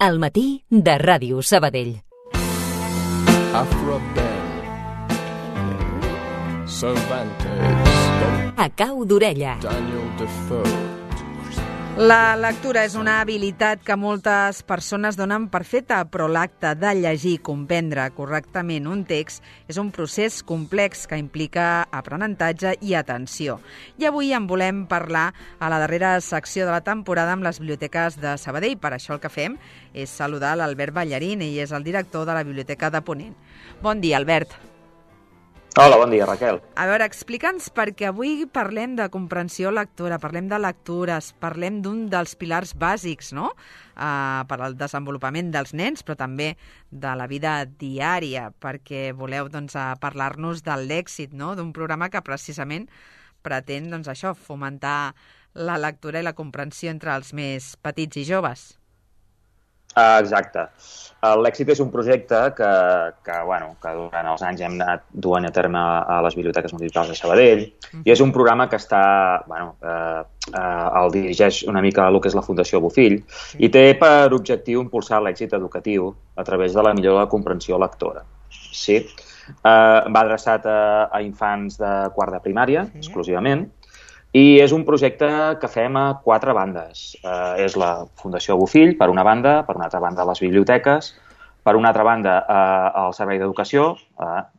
Al matí de Ràdio Sabadell. Afro Ben, Cervantes, A cau d'orella. Daniel Defoe. La lectura és una habilitat que moltes persones donen per feta, però l'acte de llegir i comprendre correctament un text és un procés complex que implica aprenentatge i atenció. I avui en volem parlar a la darrera secció de la temporada amb les biblioteques de Sabadell. Per això el que fem és saludar l'Albert Ballarín, ell és el director de la Biblioteca de Ponent. Bon dia, Albert. Hola, bon dia, Raquel. A veure, explica'ns, perquè avui parlem de comprensió lectora, parlem de lectures, parlem d'un dels pilars bàsics, no?, per al desenvolupament dels nens, però també de la vida diària, perquè voleu parlar-nos de l'èxit, no?, d'un programa que precisament pretén això, fomentar la lectura i la comprensió entre els més petits i joves. Exacte. L'èxit és un projecte que durant els anys hem anat duent a terme a les biblioteques municipals de Sabadell, i és un programa que el dirigeix una mica el que és la Fundació Bofill, i té per objectiu impulsar l'èxit educatiu a través de la millora de la comprensió lectora. Sí? Va adreçat a infants de quart de primària, exclusivament, i és un projecte que fem a 4 bandes. És la Fundació Bofill, per una banda, per una altra banda les biblioteques, per una altra banda el Servei d'Educació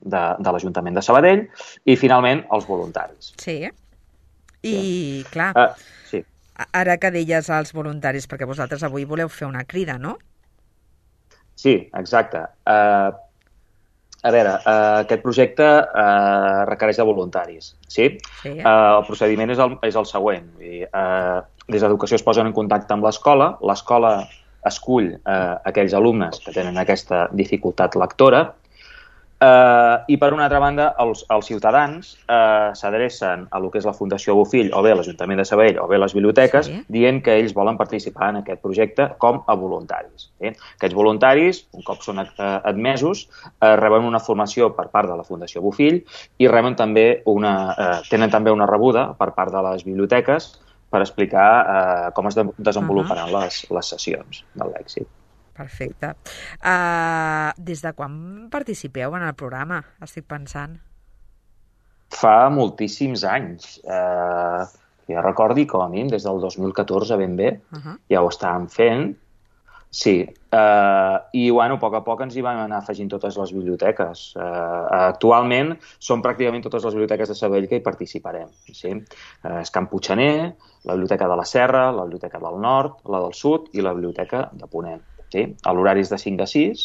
de l'Ajuntament de Sabadell i, finalment, els voluntaris. Sí, i clar, sí. Ara que deies als voluntaris, perquè vosaltres avui voleu fer una crida, no? Sí, exacte. A veure, aquest projecte requereix de voluntaris, sí? El procediment és el següent. Des d'Educació es posen en contacte amb l'escola, l'escola escull aquells alumnes que tenen aquesta dificultat lectora, i per una altra banda els ciutadans s'adrecen a lo que és la Fundació Bofill o bé l'Ajuntament de Sabadell o bé les biblioteques, dient que ells volen participar en aquest projecte com a voluntaris. Aquests voluntaris, un cop són admesos, reben una formació per part de la Fundació Bofill i tenen també una rebuda per part de les biblioteques per explicar com es desenvoluparan les sessions de l'èxit. Perfecte. Des de quan participeu en el programa? Estic pensant. Fa moltíssims anys. Jo recordi, com a mínim, des del 2014 ben bé, ja ho estàvem fent. Sí. I, a poc a poc ens hi van anar afegint totes les biblioteques. Actualment són pràcticament totes les biblioteques de Sabadell que hi participarem. És Can Puiggener, la Biblioteca de la Serra, la Biblioteca del Nord, la del Sud i la Biblioteca de Ponent. L'horari és de 5 a 6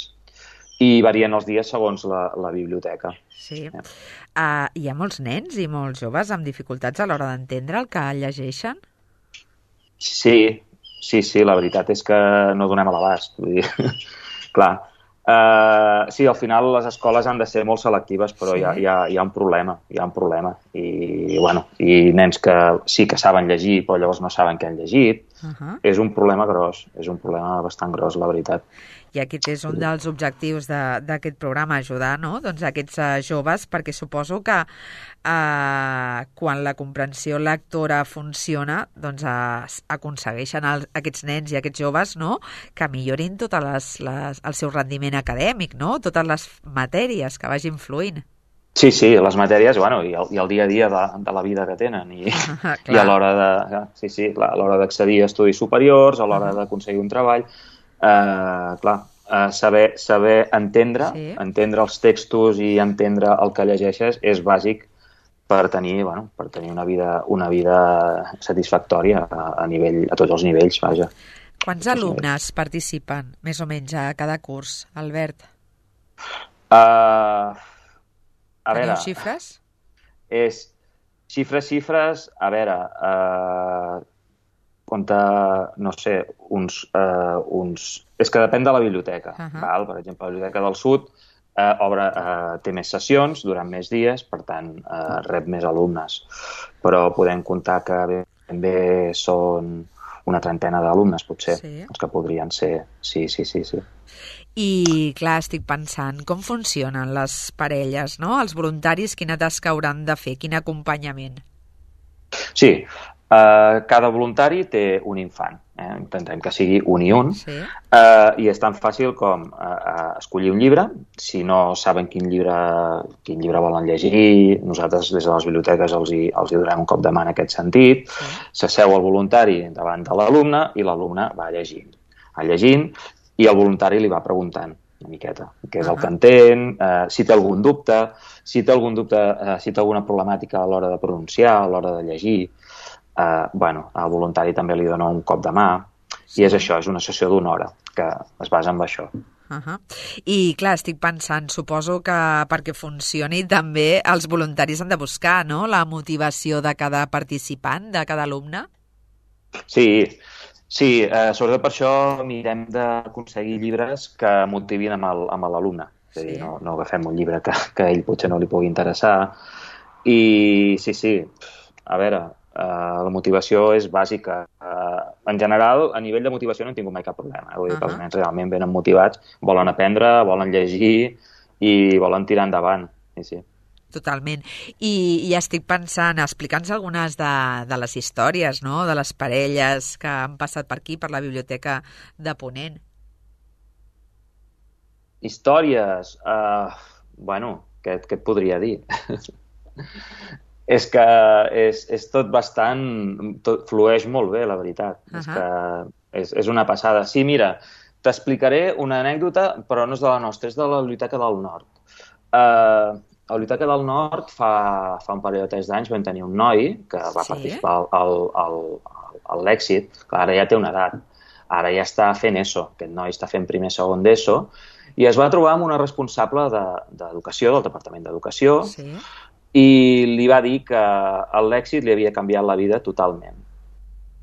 i varien els dies segons la biblioteca. Sí. Hi ha molts nens i molts joves amb dificultats a l'hora d'entendre el que llegeixen? Sí, la veritat és que no donem a l'abast. Clar, sí, al final les escoles han de ser molt selectives, però hi ha un problema, I nens que sí que saben llegir, però llavors no saben què han llegit. És un problema gros, és un problema bastant gros, la veritat. I aquest és un dels objectius d'aquest programa, ajudar, no?, aquests joves, perquè suposo que quan la comprensió lectora funciona, aconsegueixen aquests nens i aquests joves, no?, que millorin tot el seu rendiment acadèmic, no?, totes les matèries que vagin fluint. Sí, les matèries, i el dia a dia de la vida que tenen, i a l'hora d'accedir a estudis superiors, a l'hora d'aconseguir un treball, saber entendre els textos i entendre el que llegeixes és bàsic per tenir una vida satisfactòria a tots els nivells, vaja. Quants alumnes participen, més o menys, a cada curs, Albert? Teniu xifres? Xifres, a veure, no sé, és que depèn de la biblioteca. Per exemple, la Biblioteca del Sud té més sessions durant més dies, per tant, rep més alumnes. Però podem comptar que ben bé són una trentena d'alumnes, potser, els que podrien ser. Sí. I, clar, estic pensant, com funcionen les parelles, no? Els voluntaris, quina tasca hauran de fer? Quin acompanyament? Sí, cada voluntari té un infant. intentem que sigui un i un, Sí. I és tan fàcil com escollir un llibre. Si no saben quin llibre volen llegir, nosaltres des de les biblioteques els hi donem un cop de mà en aquest sentit. S'asseu el voluntari davant de l'alumne i l'alumne va llegint i el voluntari li va preguntant una miqueta què és el que entén, si té algun dubte, si té alguna problemàtica a l'hora de pronunciar, a l'hora de llegir. El voluntari també li dona un cop de mà i és això, és una sessió d'una hora que es basa en això. I clar, estic pensant, suposo que perquè funcioni també els voluntaris han de buscar, no?, la motivació de cada participant, de cada alumne. Sí, sobretot per això mirem d'aconseguir llibres que motivin amb l'alumne. És a dir, no agafem un llibre que a ell potser no li pugui interessar. I sí, a veure, la motivació és bàsica. En general, a nivell de motivació no hem tingut mai cap problema. Vull dir que els nens realment venen motivats, volen aprendre, volen llegir i volen tirar endavant. Sí. Totalment. I ja estic pensant, explica'ns algunes de les històries, no?, de les parelles que han passat per aquí, per la biblioteca de Ponent. Històries? Què et podria dir? És que és tot tot flueix molt bé, la veritat. És que és una passada. Sí, mira, t'explicaré una anècdota, però no és de la nostra, és de la Biblioteca del Nord. A la Biblioteca del Nord fa un parell de 3 anys vam tenir un noi que va participar al Lèxit, que ara ja té una edat. Ara ja està fent ESO. Aquest noi està fent primer, segon d'ESO, i es va trobar amb una responsable d'educació, del Departament d'Educació, i li va dir que el Lèxit li havia canviat la vida totalment.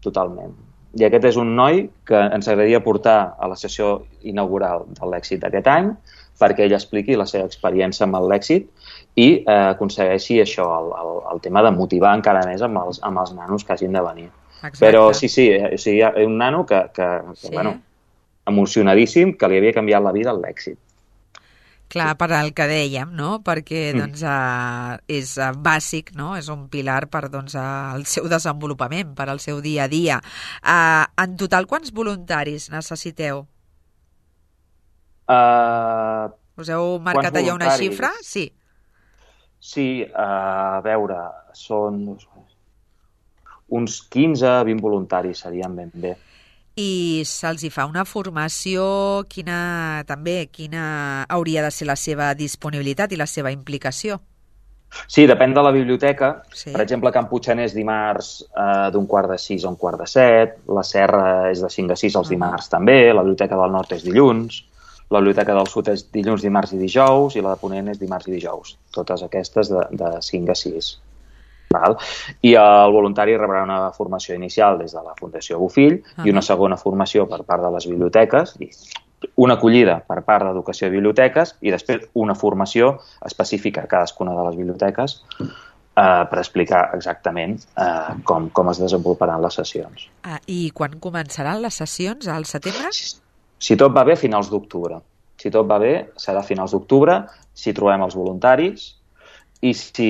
Totalment. I aquest és un noi que ens agradaria portar a la sessió inaugural del Lèxit d'aquest any perquè ell expliqui la seva experiència amb el Lèxit i aconsegueixi això, el tema de motivar encara més amb els nanos que hagin de venir. Exacte. Però sí, hi ha un nano que emocionadíssim, que li havia canviat la vida al Lèxit. Clar, per al que dèiem, no?, perquè és bàsic, no?, és un pilar per el seu desenvolupament, per al seu dia a dia. En total, quants voluntaris necessiteu? Us heu marcat allà una xifra? Sí. Sí, a veure, són uns 15-20 voluntaris serien ben bé. I se'ls hi fa una formació, quina hauria de ser la seva disponibilitat i la seva implicació? Sí, depèn de la biblioteca. Per exemple, Can Puigxanès dimarts d'15:45 a 17:15, la Serra és de 5 a 6 els dimarts també, la Biblioteca del Nord és dilluns, la Biblioteca del Sud és dilluns, dimarts i dijous, i la de Ponent és dimarts i dijous. Totes aquestes de 5 a 6. I el voluntari rebrà una formació inicial des de la Fundació Bofill i una segona formació per part de les biblioteques, una acollida per part d'Educació de Biblioteques i després una formació específica a cadascuna de les biblioteques per explicar exactament com es desenvoluparan les sessions. I quan començaran les sessions? Al setembre? Si tot va bé, a finals d'octubre. Si tot va bé, serà a finals d'octubre, si trobem els voluntaris i si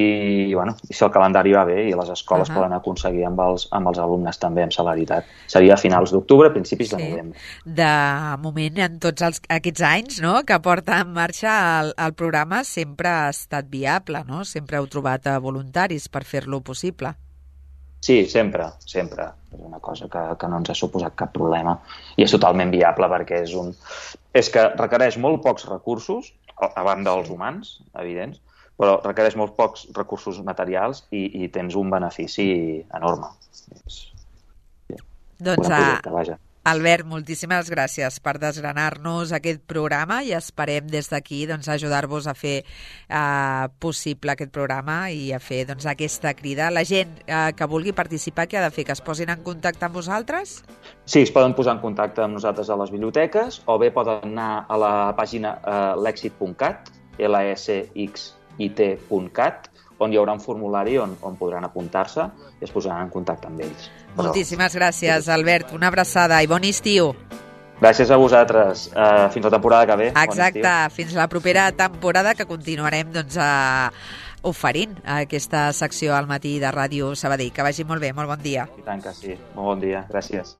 el calendari va bé i les escoles poden aconseguir amb els alumnes també amb celeritat. Seria a finals d'octubre, principis de novembre. De moment, en tots aquests anys, no?, que porta en marxa el programa, sempre ha estat viable, no? Sempre heu trobat voluntaris per fer-lo possible. Sí, sempre. És una cosa que no ens ha suposat cap problema i és totalment viable perquè és que requereix molt pocs recursos, a banda dels humans, evidents, però requereix molt pocs recursos materials i tens un benefici enorme. Doncs, Albert, moltíssimes gràcies per desgranar-nos aquest programa i esperem des d'aquí ajudar-vos a fer possible aquest programa i a fer aquesta crida. La gent que vulgui participar, què ha de fer? Que es posin en contacte amb vosaltres? Sí, es poden posar en contacte amb nosaltres a les biblioteques o bé poden anar a la pàgina lexit.cat, lsxit.cat, on hi haurà un formulari on podran apuntar-se i es posaran en contacte amb ells. Moltíssimes gràcies, Albert. Una abraçada i bon estiu. Gràcies a vosaltres. Fins la temporada que ve. Exacte. Fins la propera temporada que continuarem oferint aquesta secció al matí de Ràdio Sabadell. Que vagi molt bé. Molt bon dia. I tant que sí. Molt bon dia. Gràcies.